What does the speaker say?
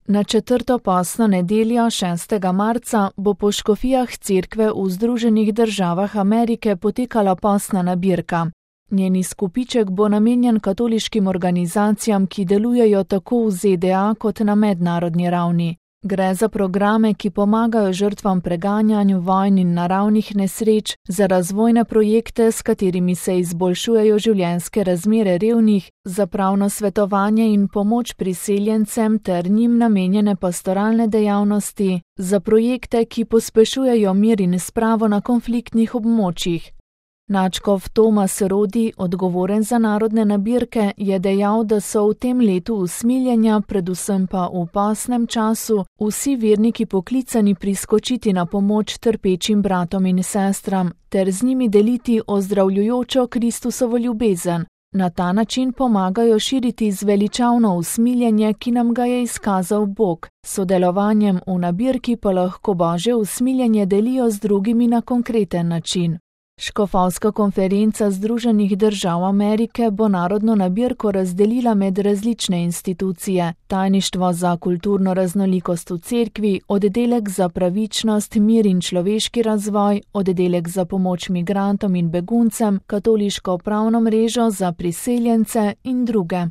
Na četrto postno nedeljo 6. marca bo po škofijah cerkve v Združenih državah Amerike potekala postna nabirka. Njeni izkupiček bo namenjen katoliškim organizacijam, ki delujejo tako v ZDA kot na mednarodni ravni. Gre za programe, ki pomagajo žrtvam preganjanju vojn in naravnih nesreč, za razvojne projekte, s katerimi se izboljšujejo življenjske razmere revnih, za pravno svetovanje in pomoč priseljencem ter njim namenjene pastoralne dejavnosti, za projekte, ki pospešujejo mir in spravo na konfliktnih območjih. Nadškof Tomas Rodi, odgovoren za narodne nabirke, je dejal, da so v tem letu usmiljenja, predvsem pa v postnem času, vsi verniki poklicani priskočiti na pomoč trpečim bratom in sestram ter z njimi deliti ozdravljujočo Kristusovo ljubezen. Na ta način pomagajo širiti zveličavno usmiljenje, ki nam ga je izkazal Bog. S sodelovanjem v nabirki pa lahko Božje usmiljenje delijo z drugimi na konkreten način. Škofovska konferenca Združenih držav Amerike bo narodno nabirko razdelila med različne institucije: tajništvo za kulturno raznolikost v cerkvi, oddelek za pravičnost, mir in človeški razvoj, oddelek za pomoč migrantom in beguncem, katoliško pravno mrežo za priseljence in druge.